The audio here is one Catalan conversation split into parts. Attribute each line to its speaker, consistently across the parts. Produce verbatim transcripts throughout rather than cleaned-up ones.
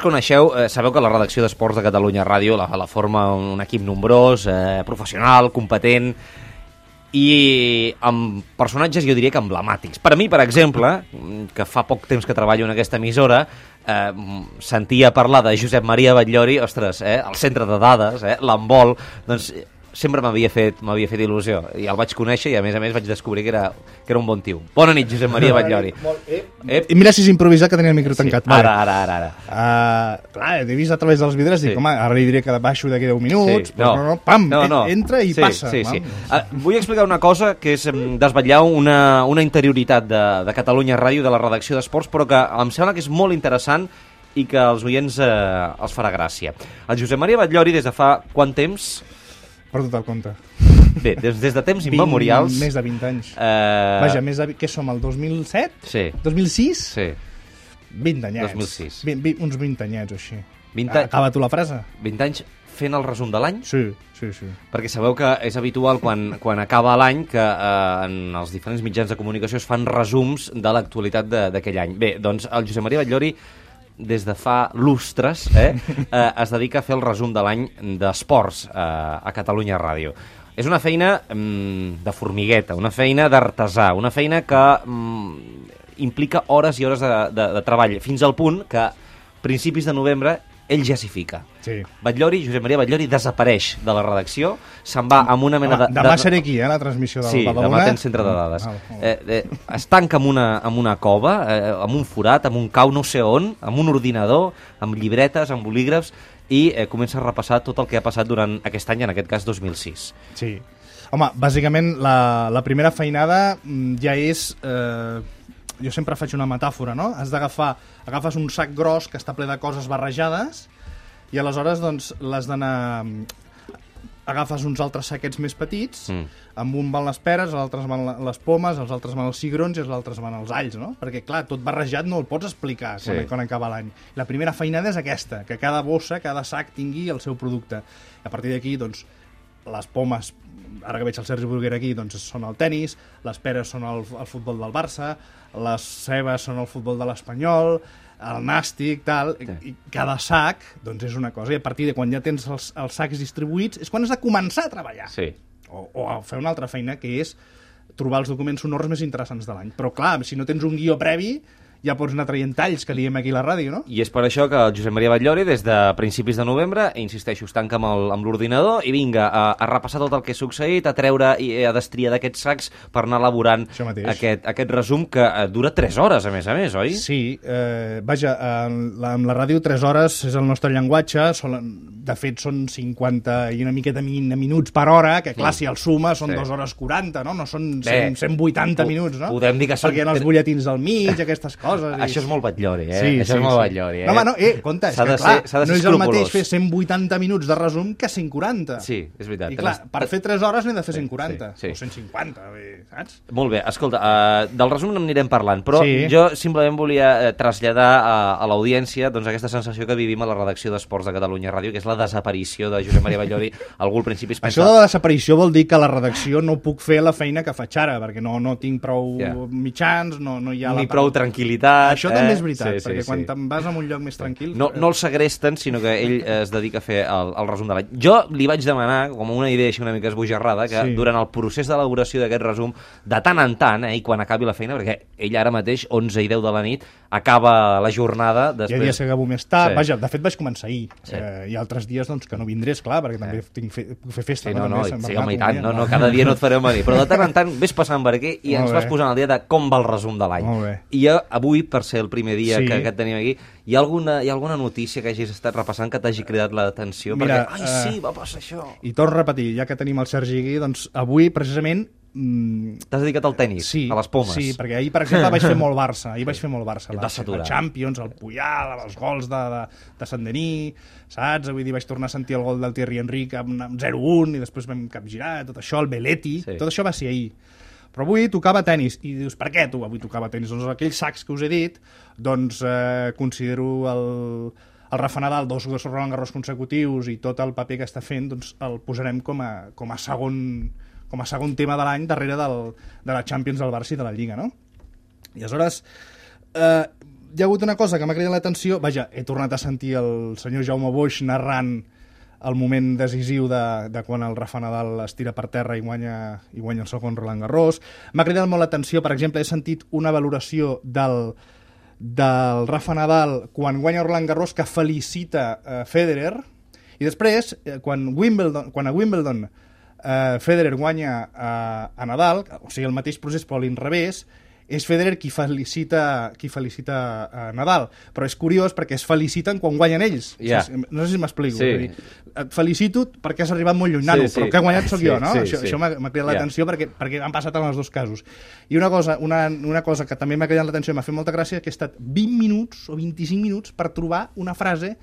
Speaker 1: Coneixeu, eh, sabeu que la redacció d'Esports de Catalunya Ràdio la, la forma un equip nombrós, eh, professional, competent i amb personatges, jo diria que emblemàtics. Per a mi, per exemple, que fa poc temps que treballo en aquesta emissora, eh, sentia parlar de Josep Maria Batllori, ostres, eh, el centre de dades, eh, l'handbol, doncs sempre m'havia fet, m'havia fet il·lusió. I el vaig conèixer i, a més a més, vaig descobrir que era, que era un bon tio. Bona nit, Josep Maria Batllori.
Speaker 2: Eh, mira si és improvisat, que tenia el micro tancat.
Speaker 1: Sí, ara, ara, ara. ara.
Speaker 2: Uh, clar, t'he vist a través dels vidres i
Speaker 1: sí.
Speaker 2: dic, home, ara li diré que baixo d'aquí deu minuts,
Speaker 1: sí,
Speaker 2: però
Speaker 1: no.
Speaker 2: no, no, pam,
Speaker 1: no, no.
Speaker 2: entra i
Speaker 1: sí,
Speaker 2: passa.
Speaker 1: Sí, sí. Uh, vull explicar una cosa, que és um, desvetllar una, una interioritat de, de Catalunya Ràdio, de la redacció d'Esports, però que em sembla que és molt interessant i que als oients eh, els farà gràcia. El Josep Maria Batllori, des de fa quant temps...
Speaker 2: Perdut el compte.
Speaker 1: Bé, des, des de temps immemorials...
Speaker 2: Més de vint anys.
Speaker 1: Eh...
Speaker 2: Vaja, més de... Què som, el dos mil set?
Speaker 1: Sí.
Speaker 2: dos mil sis?
Speaker 1: Sí.
Speaker 2: vint anyets.
Speaker 1: dos mil sis.
Speaker 2: vint, vint, uns vint anyets o així.
Speaker 1: vint anys...
Speaker 2: Acaba tu la frase.
Speaker 1: vint anys fent el resum de l'any?
Speaker 2: Sí, sí, sí.
Speaker 1: Perquè sabeu que és habitual quan, quan acaba l'any que eh, en els diferents mitjans de comunicació es fan resums de l'actualitat d'aquell any. Bé, doncs el Josep Maria Batllori, des de fa lustres, eh, eh, es dedica a fer el resum de l'any d'esports eh, a Catalunya Ràdio. És una feina mm, de formigueta, una feina d'artesà, una feina que mm, implica hores i hores de, de, de treball, fins al punt que a principis de novembre ell ja s'hi fica.
Speaker 2: Sí.
Speaker 1: Batllori, Josep Maria Batllori, desapareix de la redacció, se'n va amb una mena de...
Speaker 2: Home, demà
Speaker 1: de...
Speaker 2: seré aquí, eh, la transmissió del
Speaker 1: sí,
Speaker 2: Badalona.
Speaker 1: Sí, demà tens centre de dades.
Speaker 2: Ah, ah.
Speaker 1: Eh, eh, es tanca amb una, amb una cova, eh, amb un forat, amb un cau no sé on, amb un ordinador, amb llibretes, amb bolígrafs, i eh, comença a repassar tot el que ha passat durant aquest any, en aquest cas dos mil sis.
Speaker 2: Sí. Home, bàsicament, la, la primera feinada ja és... Eh, jo sempre faig una metàfora, no? Has d'agafar... Agafes un sac gros que està ple de coses barrejades i aleshores doncs l'has d'anar... Agafes uns altres saquets més petits, mm. amb un van les peres, els altres van les pomes, els altres van els cigrons i els altres van els alls, no? Perquè, clar, tot barrejat no el pots explicar sí. quan, quan acaba l'any. La primera feinada és aquesta, que cada bossa, cada sac tingui el seu producte. A partir d'aquí, doncs, les pomes, ara que veig el Sergi Burguera aquí, doncs són el tennis, les peres són el, el futbol del Barça, les cebes són el futbol de l'Espanyol, el nàstic, tal, sí. i cada sac doncs és una cosa, i a partir de quan ja tens els, els sacs distribuïts és quan has de començar a treballar.
Speaker 1: Sí.
Speaker 2: O, o a fer una altra feina, que és trobar els documents sonors més interessants de l'any. Però clar, si no tens un guió previ, ja pots anar traient talls, que diem aquí a la ràdio, no?
Speaker 1: I és per això que el Josep Maria Batllori, des de principis de novembre, insisteixo, es tanca amb l'ordinador i vinga a, a repassar tot el que ha succeït, a treure i a destriar d'aquests sacs per anar elaborant aquest, aquest resum que eh, dura tres hores, a més a més, oi?
Speaker 2: Sí, eh, vaja, amb la, amb la ràdio tres hores és el nostre llenguatge, són, de fet són cinquanta i una miqueta min, minuts per hora, que clar, sí. si el suma són sí. dues hores quaranta, no? No són cent, cent vuitanta minuts, no?
Speaker 1: Podem dir que són...
Speaker 2: Perquè hi ha els butlletins al mig, aquestes coses. I...
Speaker 1: Això és molt Batllori, eh?
Speaker 2: Sí,
Speaker 1: Això
Speaker 2: sí,
Speaker 1: és molt
Speaker 2: sí.
Speaker 1: Batllori, eh?
Speaker 2: No, home, no, eh, compte, és que clar,
Speaker 1: ser,
Speaker 2: no és el mateix fer cent vuitanta minuts de resum que cent quaranta.
Speaker 1: Sí, és veritat.
Speaker 2: I clar, per fer tres hores n'he de fer cent quaranta,
Speaker 1: sí, sí.
Speaker 2: o cent cinquanta, bé, saps?
Speaker 1: Molt bé, escolta, uh, del resum n'anirem parlant, però
Speaker 2: sí.
Speaker 1: jo simplement volia uh, traslladar a, a l'audiència doncs, aquesta sensació que vivim a la redacció d'Esports de Catalunya Ràdio, que és la desaparició de Josep Maria Batllori. Algú al principi es pensa...
Speaker 2: Això de la desaparició vol dir que a la redacció no puc fer la feina que faig ara, perquè no, no tinc prou yeah. mitjans, no, no hi ha...
Speaker 1: Ni
Speaker 2: la...
Speaker 1: prou tranquil·litat.
Speaker 2: Això
Speaker 1: eh?
Speaker 2: també és veritat,
Speaker 1: sí, sí,
Speaker 2: perquè
Speaker 1: sí.
Speaker 2: quan te'n vas a un lloc més tranquil...
Speaker 1: No, no el segresten, sinó que ell es dedica a fer el, el resum de l'any. Jo li vaig demanar, com una idea així una mica esbojarrada, que sí. durant el procés d'elaboració d'aquest resum, de tant en tant, eh, i quan acabi la feina, perquè ell ara mateix, onze i deu de la nit, acaba la jornada... Després...
Speaker 2: Hi ha dies que acabo més tard.
Speaker 1: Sí.
Speaker 2: Vaja, de fet vaig començar ahir.
Speaker 1: Sí.
Speaker 2: Eh, hi ha altres dies doncs, que no vindré, esclar, perquè també sí. tinc fe, puc fer festa.
Speaker 1: Sí, no,
Speaker 2: no,
Speaker 1: no,
Speaker 2: també,
Speaker 1: sí, home, i tant, no, no, cada dia no et farem venir. Però de tant en tant vés passant per aquí i
Speaker 2: Molt
Speaker 1: ens
Speaker 2: bé.
Speaker 1: vas posant el dia de com va el resum de l'any.
Speaker 2: Molt bé.
Speaker 1: I jo, avui, per ser el primer dia
Speaker 2: sí.
Speaker 1: que, que et tenim aquí, hi ha, alguna, hi ha alguna notícia que hagis estat repassant que t'hagi cridat l'atenció?
Speaker 2: Mira,
Speaker 1: perquè, ai, sí, va passar això.
Speaker 2: I torno a repetir, ja que tenim el Sergi aquí, doncs avui, precisament...
Speaker 1: Mm, t'has dedicat al tennis,
Speaker 2: sí,
Speaker 1: a les pomes.
Speaker 2: Sí, perquè ahir, per exemple, vaig fer molt Barça. Ahir vaig fer molt Barça. La,
Speaker 1: la
Speaker 2: Champions, el Puyal, els gols de, de, de Saint-Denis, saps? Avui dir, vaig tornar a sentir el gol del Thierry Henry amb, amb zero un i després vam capgirar, tot això, el Belletti, sí. tot això va ser ahir. Però avui tocava tennis. I dius, per què tu avui tocava tennis? Doncs aquells sacs que us he dit, doncs eh, considero el, el Rafa Nadal, dos, dos Roland Garros consecutius i tot el paper que està fent, doncs el posarem com a, com a segon... com a segon tema de l'any darrere del, de la Champions del Barça i de la Lliga, no? I aleshores, eh, hi ha hagut una cosa que m'ha cridat l'atenció. Vaja, he tornat a sentir el senyor Jaume Boix narrant el moment decisiu de, de quan el Rafa Nadal es tira per terra i guanya, i guanya el segon Roland Garros. M'ha cridat molt l'atenció, per exemple, he sentit una valoració del, del Rafa Nadal quan guanya Roland Garros que felicita uh, Federer, i després, eh, quan, Wimbledon, quan a Wimbledon uh, Federer guanya uh, a Nadal, o sigui, el mateix procés però a l'inrevés, és Federer qui felicita, qui felicita a Nadal. Però és curiós perquè es feliciten quan guanyen ells.
Speaker 1: Yeah.
Speaker 2: No sé si m'explico.
Speaker 1: Sí.
Speaker 2: Dir, et felicito perquè has arribat molt lluny, nano, sí, sí. però que he guanyat sóc sí, jo, no?
Speaker 1: Sí,
Speaker 2: això
Speaker 1: sí.
Speaker 2: això m'ha cridat l'atenció yeah. perquè, perquè han passat en els dos casos. I una cosa, una, una cosa que també m'ha cridat l'atenció i m'ha fet molta gràcia és que he estat vint minuts o vint-i-cinc minuts per trobar una frase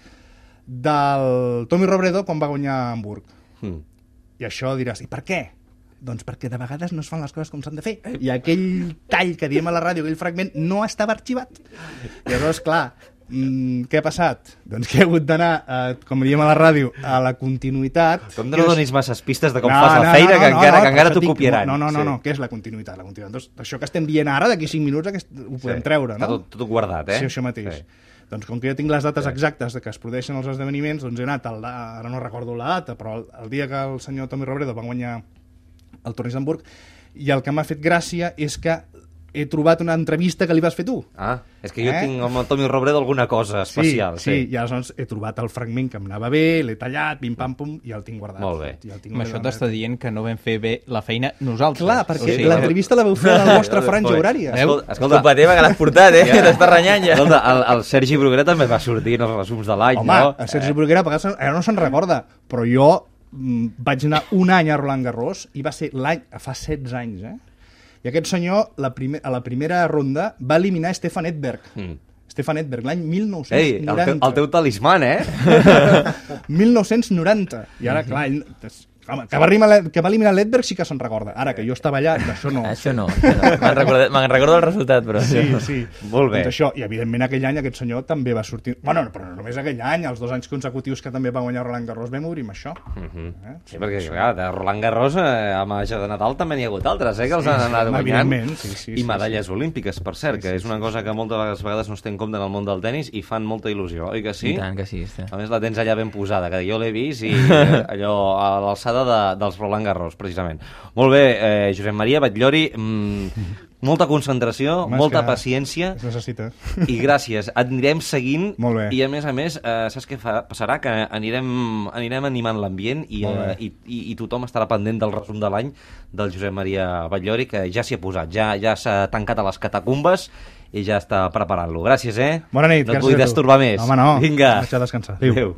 Speaker 2: del Tommy Robredo quan va guanyar a Hamburg. Mm. I això diràs, i per què? Doncs perquè de vegades no es fan les coses com s'han de fer. I aquell tall que diem a la ràdio, aquell fragment, no estava arxivat. I llavors, clar, mmm, què ha passat? Doncs que he hagut d'anar, eh, com diem a la ràdio, a la continuïtat.
Speaker 1: Com no donis masses pistes de com
Speaker 2: no,
Speaker 1: fas la
Speaker 2: no,
Speaker 1: feina,
Speaker 2: no, no,
Speaker 1: que
Speaker 2: no,
Speaker 1: encara,
Speaker 2: no,
Speaker 1: que encara t'ho
Speaker 2: dic,
Speaker 1: copiaran.
Speaker 2: No, no, no,
Speaker 1: sí.
Speaker 2: no, què és la continuïtat? La continuïtat. Doncs això que estem dient ara, d'aquí cinc minuts, aquest, ho podem
Speaker 1: sí.
Speaker 2: treure, no?
Speaker 1: Està tot, tot guardat, eh?
Speaker 2: Sí, això mateix. Sí. Doncs com que jo tinc les dates sí. exactes de que es produeixen els esdeveniments, doncs he anat, al, ara no recordo la data, però el, el dia que el senyor Tommy Robredo va guanyar el torneig d'Hamburg, i el que m'ha fet gràcia és que he trobat una entrevista que li vas fer tu.
Speaker 1: Ah, és que jo
Speaker 2: eh?
Speaker 1: tinc amb el Tommy Robredo alguna cosa especial.
Speaker 2: Sí, sí, sí. I aleshores he trobat el fragment que em anava bé, l'he tallat, pim-pam-pum, i el tinc guardat.
Speaker 1: Molt bé.
Speaker 2: I el tinc
Speaker 3: Amb això t'està dient que no vam fer bé la feina nosaltres.
Speaker 2: Clar, perquè
Speaker 3: o sigui,
Speaker 2: l'entrevista la vau fer a la vostra franja horària.
Speaker 1: Escolta, escolta.
Speaker 4: Culpa teva que l'has portat, eh? Ja. T'està renyant ja.
Speaker 1: Escolta, el, el Sergi Bruguera també va sortir en els resums de l'any,
Speaker 2: Home,
Speaker 1: no?
Speaker 2: el Sergi Bruguera, a vegades ara no se'n recorda, però jo mm, vaig anar un any a Roland Garros i va ser l'any, fa setze anys, eh? I aquest senyor, la primer, a la primera ronda, va eliminar Stefan Edberg. Mm. Stefan Edberg, l'any mil nou-cents noranta.
Speaker 1: Ei, el, te, el teu talisman, eh?
Speaker 2: mil nou-cents noranta. I ara, clar, ell, home, que va, eliminar, que va eliminar l'Edberg sí que se'n recorda. Ara, que jo estava allà, d'això no.
Speaker 4: Això no. no. Me'n recordo, me recordo el resultat, però...
Speaker 2: Sí, sí.
Speaker 1: Molt bé.
Speaker 2: Doncs això, i evidentment aquell any aquest senyor també va sortir... Bueno, però no només aquell any, els dos anys consecutius que també va guanyar Roland Garros vam obrir amb això. Uh -huh. eh?
Speaker 1: Sí, perquè, clar, de Roland Garros eh, a Màgia de Nadal també n'hi ha hagut altres, eh, que els
Speaker 2: sí,
Speaker 1: han anat
Speaker 2: sí,
Speaker 1: guanyant.
Speaker 2: Sí, sí,
Speaker 1: I medalles
Speaker 2: sí, sí.
Speaker 1: olímpiques, per cert,
Speaker 2: sí,
Speaker 1: que
Speaker 2: sí,
Speaker 1: és una
Speaker 2: sí,
Speaker 1: cosa
Speaker 2: sí.
Speaker 1: que moltes vegades no es té en compte en el món del tennis i fan molta il·lusió, oi que sí?
Speaker 4: I tant que sí. sí.
Speaker 1: A més, la tens allà ben posada, que jo l'he vist i eh, allò a l'alçada de, dels Roland Garros, precisament. Molt bé, eh, Josep Maria Batllori, mmm, molta concentració,
Speaker 2: Home,
Speaker 1: molta paciència
Speaker 2: es necessita.
Speaker 1: i gràcies. Et anirem seguint
Speaker 2: Molt bé.
Speaker 1: i, a més a més, eh, saps què fa, passarà? Que anirem, anirem animant l'ambient i, eh, i, i, i tothom estarà pendent del resum de l'any del Josep Maria Batllori, que ja s'hi ha posat, ja ja s'ha tancat a les catacumbes i ja està preparant-lo. Gràcies, eh?
Speaker 2: Bona nit.
Speaker 1: No et vull destorbar més.
Speaker 2: Home, no.
Speaker 1: Vinga.
Speaker 2: Vaig a descansar.
Speaker 1: Adéu. Adéu.